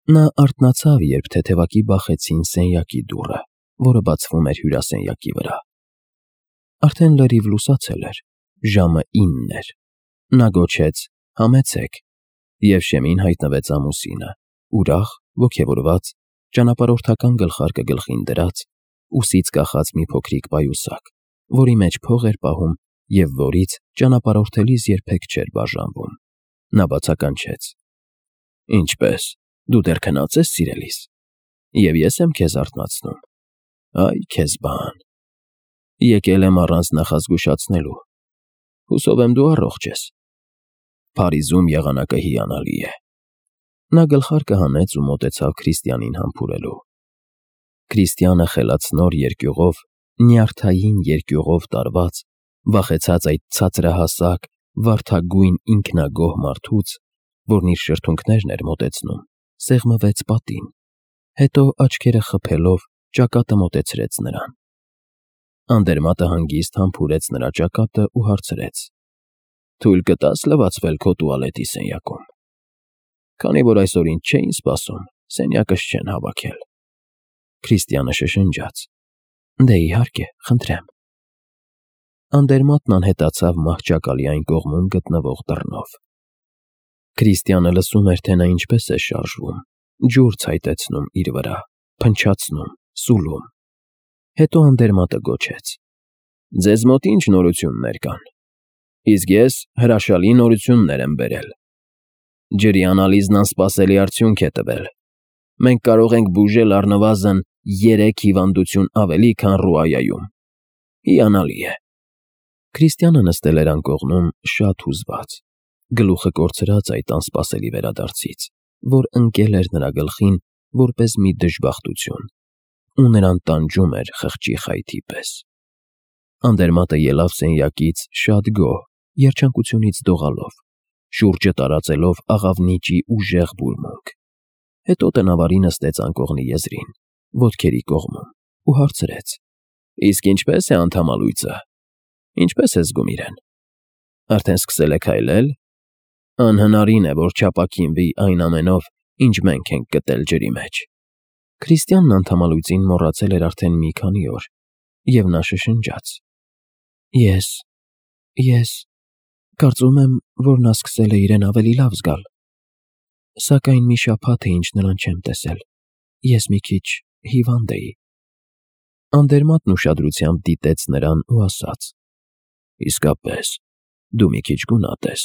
Նա արթնացավ, երբ թեթևակի բախեցին սենյակի դուռը, որը բացվում էր հյուրասենյակի վրա։ Արդեն լրիվ լուսացել էր, ժամը 9 էր։ Նա գոչեց. «Համեցեք», և շեմին հայտնվեց ամուսինը, ուրախ, ոգևորված, ճանապարհորդական գլխարկը գլխին դրած, ուսից կախած մի փոքրիկ պայուսակ, որի մեջ փող էր պահում և որից ճանապարհորդելիս երբեք չէր բաժանվում։ Նա բացականչեց. «Ինչպե՞ս, դու դեռ քնած ես, սիրելիս, և ես եմ քեզ արթնացնում։ Այ քեզ բան։ Եկել եմ առանց նախազգուշացնելու։ Հուսով եմ դու առողջ ես։ Փարիզում եղանակը հիանալի է»։ Նա գլխարկը հանեց ու մոտեցավ Քրիստիանին համբուրելու։ Քրիստիանը խելացնոր երկյուղով, նյարդային երկյուղով տարված, վախեցած այդ ցածրահասակ, վարդագույն ինքնագոհ մարդուց, որն իր շրթունքներն էր մոտեցնում, սեղմվեց պատին, հետո աչքերը խփելով ճակատը մոտեցրեց նրան։ Անդերմատը հանգիստ համբուրեց նրա ճակատը ու հարցրեց. «Թույլ կտա՞ս լվացվել քո տուալետի սենյակում։ Քանի որ այսօր ինձ չէին սպասում, սենյակս չեն հավաքել»։ Քրիստիանը շշնջաց. «Դե իհարկե, խնդրեմ»։ Անդերմատն անհետացավ մահճակալի այն կողմում գտնվող դռնով։ Քրիստիանը լսում էր, թե նա ինչպես է շարժվում, ջուր ցայտեցնում իր վրա, փնչացնում, սուլում։ Հետո Անդերմատը գոչեց. «Ձեզ մոտ ի՞նչ նորություններ կան։ Իսկ ես հրաշալի նորություններ եմ բերել։ Ջրի անալիզն անսպասելի արդյունք է տվել։ Մենք կարող ենք բուժել առնվազն 3 հիվանդություն ավելի, քան Ռուայայում։ Հիանալի է»։ Քրիստիանը նստել էր անկողնում շատ հուզված, գլուխը կորցրած այդ անսպասելի վերադարձից, որ ընկել էր նրա գլխին որպես մի դժբախտություն, ու նրան տանջում էր խղճի խայթի պես։ Անդերմատը ելավ սենյակից շատ գոհ, երջանկությունից դողալով, շուրջը տարածելով աղավնիճի ուժեղ բուրմունք։ Հետո տնավարի նստեց անկողնի եզրին, ոտքերի կողմում, ու հարցրեց. «Իսկ ինչպե՞ս է անդամալույծը։ Ինչպե՞ս է զգում իրեն։ Արդեն սկսել է քայլել։ Անհնարին է, որ չապաքինվի այն ամենով, ինչ մենք ենք գտել ջրի մեջ»։ Քրիստիանն անդամալույծին մոռացել էր արդեն մի քանի օր, և նա շշնջաց. Ես կարծում եմ, որ նա սկսել է իրեն ավելի լավ զգալ։ Սակայն մի շաբաթ է, ինչ նրան չեմ տեսել։ Ես մի քիչ հիվանդ էի։ Անդերմատն ուշադրությամբ դիտեց նրան ու ասաց. «Իսկապես, դու մի քիչ գունատ ես,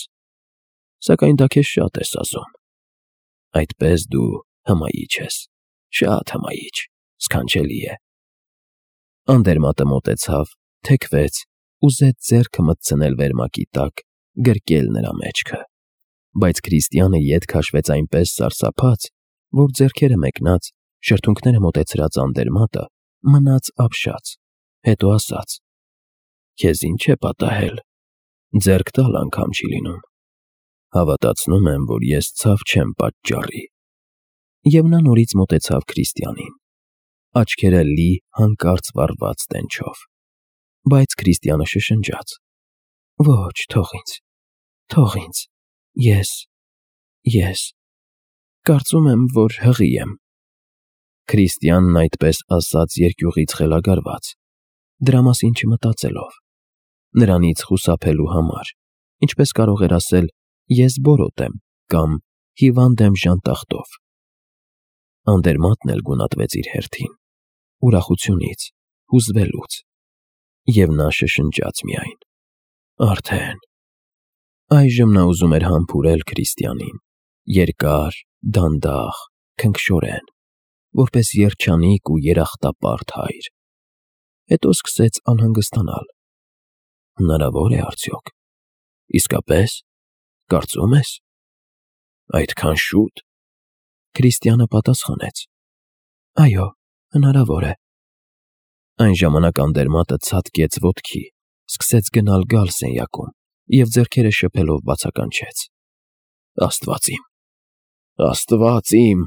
սակայն դա քեզ շատ է սազում։ Այդպես դու հմայիչ ես, շատ հմայիչ, սքանչելի է»։ Անդերմատը մոտեցավ, թեքվեց, ուզեց ձեռքը մտցնել վերմակի տակ, գրկել նրա մեջքը, բայց Քրիստիանը ետ քաշվեց այնպես սարսափած, որ ձեռքերը մեկնած, շրթունքները մոտեցրած Անդերմատը մնաց ապշած, հետո ասաց. «Քեզ ինչ է պատահել, ձեռք տալ անգամ չի լինում։ Հավատացնում եմ, որ ես ցավ չեմ պատճառի»։ Եվ նա նորից մոտեցավ Քրիստիանին, աչքերը լի հանկարծ վառված տենչով։ Բայց Քրիստիանը շշնջաց. «Ոչ, թող ինձ, ես կարծում եմ, որ հղի եմ»։ Քրիստիանն այդպես ասաց երկյուղից խելագարված, դրա մասին չմտածելով, նրանից խուսափելու համար, ինչպես կարող էր ասել. «Ես բորոտ եմ» կամ «Հիվանդ եմ ժանտախտով»։ Անդերմատն էլ գունատվեց իր հերթին, ուրախությունից, հուզվելուց, և նա շշնջաց միայն. «Արդեն»։ Այժմ նա ուզում էր համբուրել Քրիստիանին, երկար, դանդաղ, քնքշորեն, որպես երջանիկ ու երախտապարտ հայր։ Հետո սկսեց անհանգստանալ. հնարավո՞ր է արդյոք։ Իսկապե՞ս, կարծում ես։ Այդքան շուտ։ Քրիստիանը պատասխանեց. «Այո, հնարավոր է»։ Այն ժամանակ Անդերմատը ցատկեց ոտքի, սկսեց գնալ֊գալ սենյակում և ձեռքերը շփելով բացականչեց. Աստված իմ,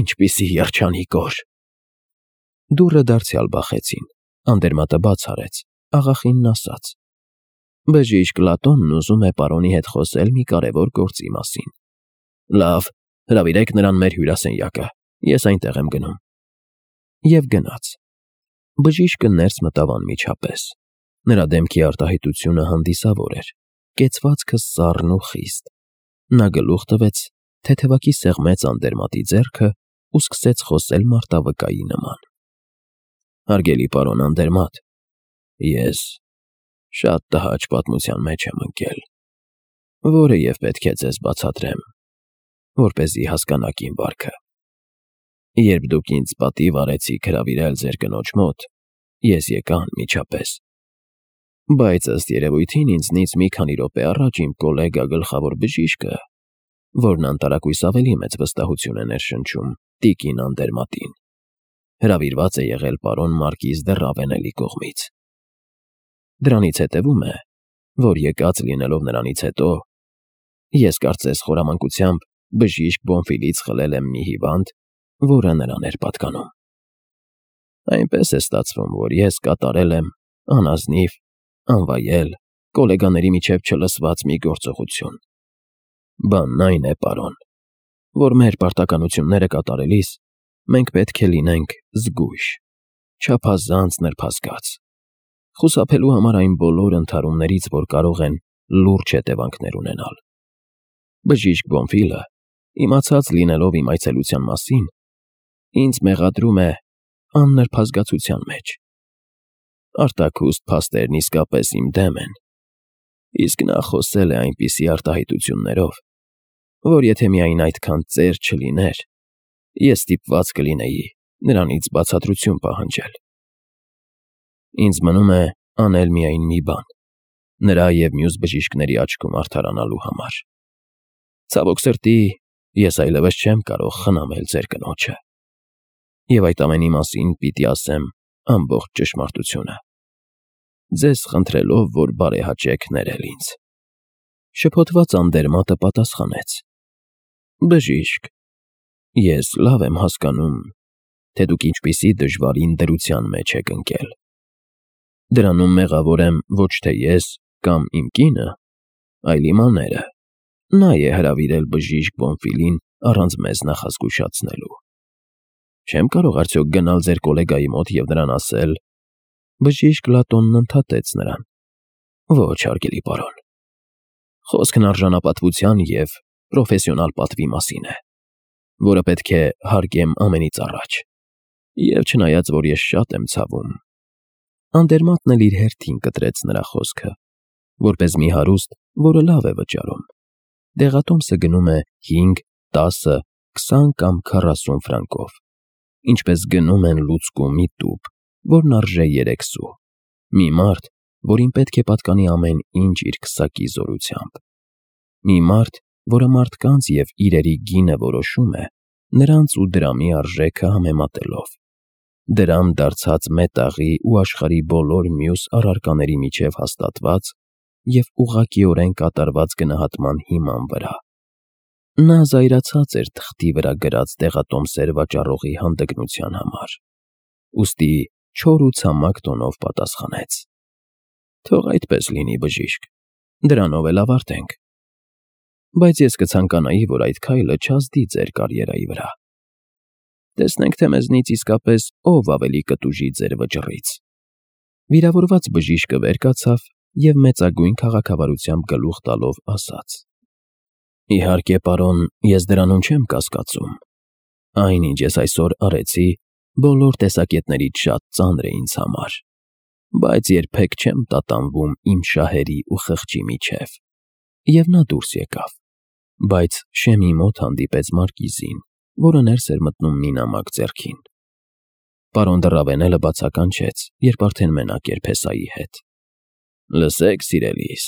ինչպիսի երջանիկ օր։ Դուռը դարձյալ բախեցին, Անդերմատը բաց արեց, աղախինն ասաց. «Բժիշկ Լատոնն ուզում է պարոնի հետ խոսել մի կարևոր գործի մասին»։ «Լավ, Հրավիրեք նրան մեր հյուրասենյակը, ես այնտեղ եմ գնում։ Եվ գնաց։ Բժիշկը ներս մտավ անմիջապես։ Նրա դեմքի արտահայտությունը հանդիսավոր էր, կեցվածքը սառն ու խիստ։ Նա գլուխ տվեց, թեթևակի սեղմեց անդերմատի ձեռքը ու սկսեց խոսել մարտավկայի նման։ Հարգելի պարոն Անդերմատ, ես շատ տհաճ պատմության մեջ եմ ընկել, որը և պետք է ձեզ բացատրեմ, որպեսզի հասկանաք իմ վարքը։ Երբ դուք ինձ պատիվ արեցիք հրավիրել ձեր կնոջ մոտ, ես եկա անմիջապես։ Բայց ըստ երևույթին ինձնից մի քանի րոպե առաջ իմ կոլեգա գլխավոր բժիշկը, որն անտարակույս ավելի մեծ վստահություն է ներշնչում տիկին Անդերմատին, հրավիրված է եղել պարոն Մարկիզ դե Ռավենելի կողմից։ Դրանից հետևում է, որ եկած լինելով նրանից հետո, ես կարծես խորամանկությամբ բժիշկ Բոնֆիլից խլել եմ մի հիվանդ, որը նրան էր պատկանում։ Այնպես է ստացվում, որ ես կատարել եմ անազնիվ, անվայել, կոլեգաների միջև չլսված մի գործողություն։ Բանն այն է, պարոն, որ մեր պարտականությունները կատարելիս մենք պետք է լինենք զգույշ, չափազանց նրբազգաց, խուսափելու համար այն բոլոր ընդհարումներից, որ կարող են լուրջ հետևանքներ ունենալ։ Բժիշկ Բոնֆիլը, իմացած լինելով իմ այցելության մասին, ինձ մեղադրում է աննրբազգացության մեջ։ Արտաքուստ փաստերն իսկապես իմ դեմ են, իսկ նա խոսել է այնպիսի արտահայտություններով, որ եթե միայն այդքան ծեր չլիներ, ես ստիպված կլինեի նրանից բացատրություն պահանջել։ Ինձ մնում է անել միայն մի բան, նրա և մյուս բժիշկների աչքում արդարանալու համար։ Ցավոք սրտի, ես այլևս չեմ կարող խնամել ձեր կնոջը, և այդ ամենի մասին պիտի ասեմ ամբողջ ճշմարտությունը, ձեզ խնդրելով, որ բարեհաճեք ներել ինձ։ Շփոթված Անդերմատը պատասխանեց. Բժիշկ, ես լավ եմ հասկանում, թե դուք ինչպիսի դժվարին դրության մեջ եք ընկել։ Դրանում մեղավոր եմ ոչ թե ես կամ իմ կինը, այլ իմ աները։ Նա է հրավիրել բժիշկ Բոնֆիլին առանց մեզ նախազգուշացնելու։ Չեմ կարող արդյոք գնալ ձեր կոլեգայի մոտ և նրան ասել… Բժիշկ Լատոնն ընդհատեց նրան. Ոչ, հարգելի պարոն, խոսքն արժանապատվության և պրոֆեսիոնալ պատվի մասին է, որը պետք է հարգեմ ամենից առաջ, և չնայած, որ ես շատ եմ ցավում… Անդերմատն էլ իր հերթին կտրեց նրա խոսքը, որպես մի հարուստ, որը լավ է վճարում։ Դեղատոմսը գնում է 5, 10, 20 կամ 40 ֆրանկով, ինչպես գնում են լուցկու մի տուփ, որն արժե 3 սու, մի մարդ, որին պետք է պատկանի ամեն ինչ իր քսակի զորությամբ, մի մարդ, որը մարդկանց և իրերի գինը որոշում է նրանց ու դրամի արժեքը համեմատելով, դրամ դարձած մետաղի ու աշխարհի բոլոր մյուս առարկաների միջև հաստատված և ուղղակիորեն կատարված գնահատման հիման վրա։ Նա զայրացած էր թղթի վրա գրած դեղատոմսեր վաճառողի հանդգնության համար, ուստի չոր ու ցամաք տոնով պատասխանեց. Թող այդպես լինի, բժիշկ, դրանով էլ ավարտենք։ Բայց ես կցանկանայի, որ այդ քայլը չազդի ձեր կարիերայի վրա։ Տեսնենք, թե մեզնից իսկապես ով ավելի կտուժի ձեր վճռից։ Վիրավորված բժիշկը վեր կացավ և մեծագույն քաղաքավարությամբ գլուխ տալով ասաց. Իհարկե, պարոն, ես դրանում չեմ կասկածում։ Այն, ինչ ես այսօր արեցի, բոլոր տեսակետներից շատ ծանր է ինձ համար, բայց երբեք չեմ տատանվում իմ շահերի ու խղճի միջև։ Եվ նա դուրս եկավ, բայց շեմի մոտ հանդիպեց Մարկիզին, որը ներս էր մտնում մի նամակ ձեռքին։ Պարոն դե Ռավենելը բացականչեց, երբ արդեն մենակ էր փեսայի հետ։ Լսեք, սիրելիս,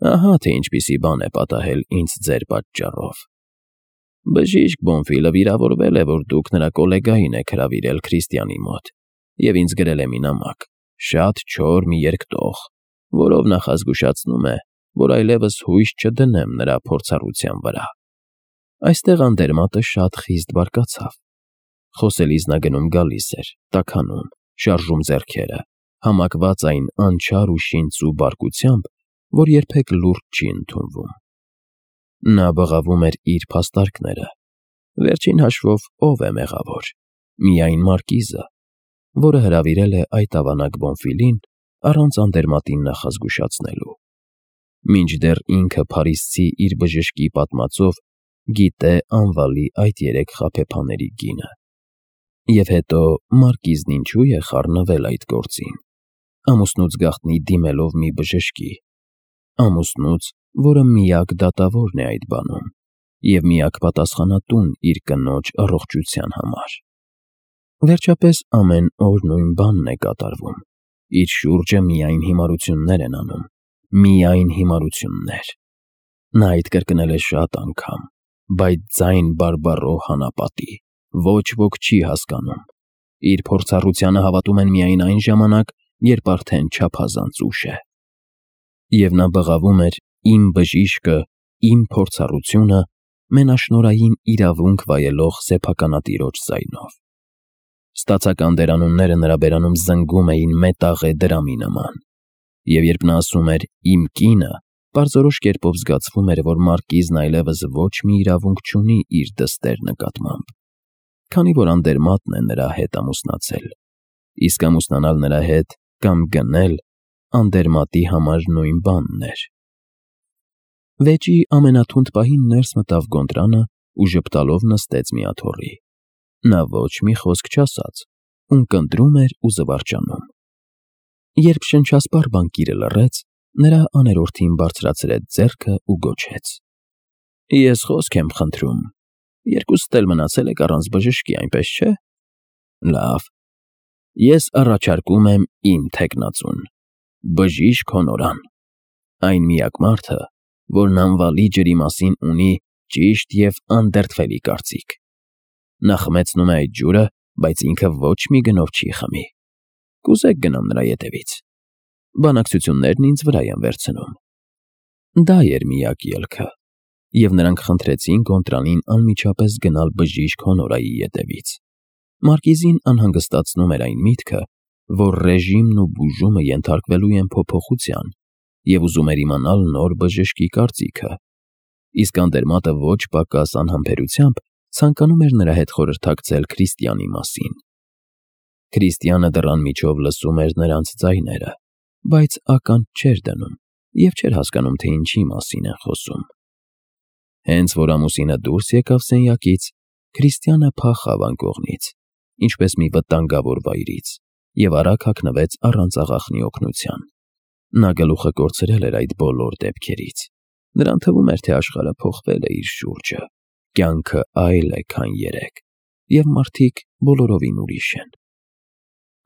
ահա թե ինչպիսի բան է պատահել ինձ ձեր պատճառով։ Բժիշկ Բոնֆիլը վիրավորվել է, որ դուք նրա կոլեգային եք հրավիրել Քրիստիանի մոտ, և ինձ գրել է մի նամակ, շատ չոր մի երկտող, որով նախազգուշացնում է, որ այլևս հույս չդնեմ նրա փորձառության վրա։ Այստեղ Անդերմատը շատ խիստ բարկացավ։ Խոսելիս նա գնում-գալիս էր, տաքանում, շարժում ձեռքերը, համակված այն անչար ու շինծու բարկությամբ, որ երբեք լուրջ չի ընդունվում։ Նա բղավում էր իր փաստարկները, Վերջին հաշվով ով է մեղավոր։ Միայն մարկիզը, որը հրավիրել է այդ ավանակ Բոնֆիլին առանց անդերմատին նախազգուշացնելու։ Մինչդեռ ինքը Փարիզցի իր բժշկի պատմածով գիտե անվալի այդ 3 խաբեբաների գինը։ Եվ հետո մարկիզն ինչու է խառնվել այդ գործին։ Ամուսնուց գաղտնի դիմելով մի բժշկի, ամուսնուց, որը միակ դատավորն է այդ բանում և միակ պատասխանատուն իր կնոջ առողջության համար։ Վերջապես ամեն օր նույն բանն է կատարվում։ Իր շուրջը միայն հիմարություններ են անում, միայն հիմարություններ։ Նա այդ կրկնել է շատ անգամ, բայց ձայն բարբառո հանապատի, ոչ ոք չի հասկանում։ Իր փորձառությանը հավատում են միայն այն ժամանակ, երբ արդեն չափազանց ուշ է։ Եվ նա բղավում էր «Իմ բժիշկը, իմ փորձառությունը» մենաշնորհային իրավունք վայելող սեփականատիրոջ ձայնով։ Ստացական դերանունները նրա բերանում զնգում էին մետաղե դրամի նման, և երբ նա ասում էր «իմ կինը», պարզորոշ կերպով զգացվում էր, որ մարկիզն այլևս ոչ մի իրավունք չունի իր դստեր նկատմամբ, քանի որ անդերմատն է նրա հետ ամուսնացել, իսկ ամուսնանալ նրա հետ կամ գնել անդերմատի համար նույն բանն էր։ Վեճի ամենաթունդ պահին ներս մտավ Գոնտրանը ու ժպտալով նստեց մի աթոռի։ Նա ոչ մի խոսք չասաց, ունկնդրում էր ու զվարճանում։ Երբ շնչասպառ բանկիրը լռեց, նրա աներորդին բարձրացրեց ձեռքը ու գոչեց. «Ես խոսք եմ խնդրում։ Երկուսդ էլ մնացել եք առանց բժշկի, այնպես չէ՞։ Լավ։ Ես առաջարկում եմ իմ թեկնածուն, բժիշկ Հոնորան, այն միակ մարդը, որն անվալի ջրի մասին ունի ճիշտ և անդերդվելի կարծիք։ Նա խմեցնում է այդ ջուրը, բայց ինքը ոչ մի գնով չի խմի։ Կուզեք գնամ նրա ետևից։ Բանակցություններն ինձ վրա են վերցնում»։ Դա էր միակ ելքը, և նրանք խնդրեցին Գոնտրանին անմիջապես գնալ բժիշկ Հոնորայի ետևից։ Մարկիզին անհանգստացնում էր այն միտքը, որ ռեժիմն ու բուժումը ենթարկվելու են փոփոխության, և ուզում էր իմանալ նոր բժշկի կարծիքը, իսկ անդերմատը ոչ պակաս անհամբերությամբ ցանկանում էր նրա հետ խորհրդակցել Քրիստիանի մասին։ Քրիստիանը դռան միջով լսում էր նրանց ձայները, բայց ականջ չէր դնում և չէր հասկանում, թե ինչի մասին են խոսում։ Հենց որ ամուսինը դուրս եկավ սենյակից, Քրիստիանը փախավ անկողնից, ինչպես մի վտանգավոր վայրից, և արագ հագնվեց առանց աղախնի օգնության։ Նա գլուխը կորցրել էր այդ բոլոր դեպքերից։ Նրան թվում էր, թե աշխարհը փոխվել է իր շուրջը, կյանքը այլ է, քան երեկ, և մարդիկ բոլորովին ուրիշ են։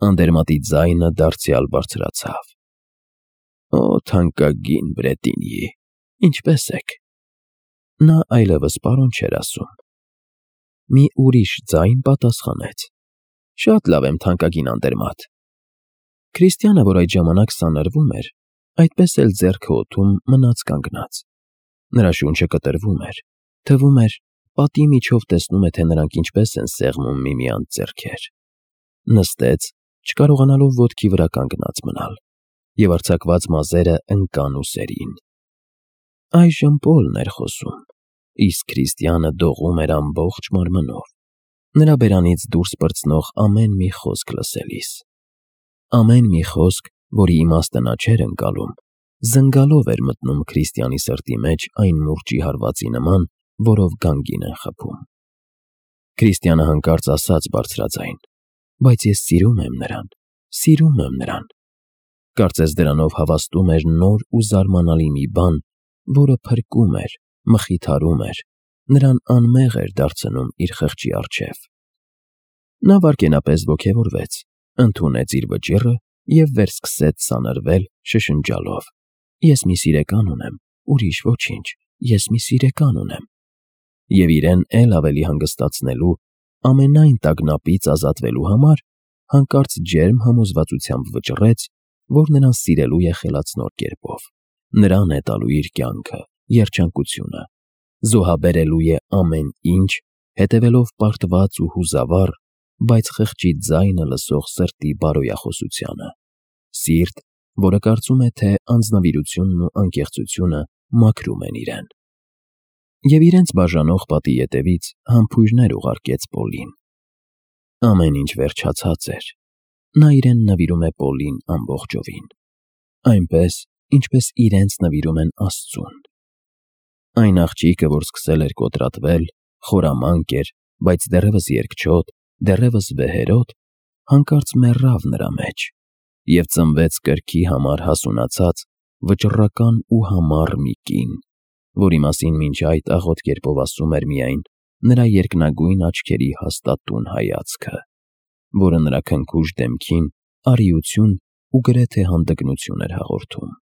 Անդերմատի ձայնը դարձյալ բարձրացավ. «Օ, թանկագին Բրետինի, ինչպե՞ս եք»։ Նա այլևս պարոն չէր ասում։ Մի ուրիշ ձայն պատասխանեց. «Շատ լավ եմ, թանկագին անդերմատ»։ Քրիստիանը, որ այդ ժամանակ սանրվում էր, այդպես էլ ձեռքը օդում մնաց կանգնած։ Նրա շունչը կտրվում էր, թվում էր, պատի միջով տեսնում է, թե նրանք ինչպես են սեղմում միմյանց ձեռքեր։ Նստեց, չկարողանալով ոտքի վրա կանգնած մնալ, և արձակված մազերը ընկան ուսերին։ Այժմ Պոլն էր խոսում, իսկ Քրիստիանը դողում էր ամբողջ մարմնով, նրա բերանից դուրս պրծնող ամեն մի խոսք լսելիս։ Ամեն մի խոսք, որի իմաստը նա չէր ընկալում, զնգալով էր մտնում Քրիստիանի սրտի մեջ այն մուրճի հարվածի նման, որով գանգին են խփում։ Քրիստիանը հանկարծ ասաց բարձրաձայն. «Բայց ես սիրում եմ նրան, սիրում եմ նրան»։ Կարծես դրանով հավաստում էր նոր ու զարմանալի մի բան, որը փրկում էր, մխիթարում էր, նրան անմեղ էր դարձնում իր խղճի առջև։ Նա վայրկենապես ոգևորվեց, ընդունեց իր վճիռը և վերսկսեց սանրվել, շշնջալով. «Ես մի սիրեկան ունեմ, ուրիշ ոչինչ, ես մի սիրեկան ունեմ»։ Եվ իրեն էլ ավելի հանգստացնելու, ամենայն տագնապից ազատվելու համար հանկարծ ջերմ համոզվածությամբ վճռեց, որ նրան սիրելու է խելացնոր կերպով, նրան է տալու իր կյանքը, երջանկությունը, զոհաբերելու է ամեն ինչ, հետևելով պարտված ու հուզավառ, բայց խղճի ձայնը լսող սրտի բարոյախոսությանը, սիրտ, որը կարծում է, թե անձնվիրությունն ու անկեղծությունը մաքրում են իրեն։ Եվ իրենց բաժանող պատի ետևից համբույրներ ուղարկեց Պոլին։ Ամեն ինչ վերջացած էր։ Նա իրեն նվիրում է Պոլին ամբողջովին, այնպես, ինչպես իրենց նվիրում են Աստծուն։ Այն աղջիկը, որ սկսել էր կոտրատվել, խորամանկ էր, բայց դեռևս երկչոտ, դեռևս վեհերոտ, հանկարծ մեռավ նրա մեջ և ծնվեց կրքի համար հասունացած, վճռական ու համառ մի կին, որի մասին մինչ այդ աղոտ կերպով ասում էր միայն նրա երկնագույն աչքերի հաստատուն հայացքը, որը նրա քնքուշ դեմքին արիություն ու գրեթե հանդգնություն էր հաղորդում։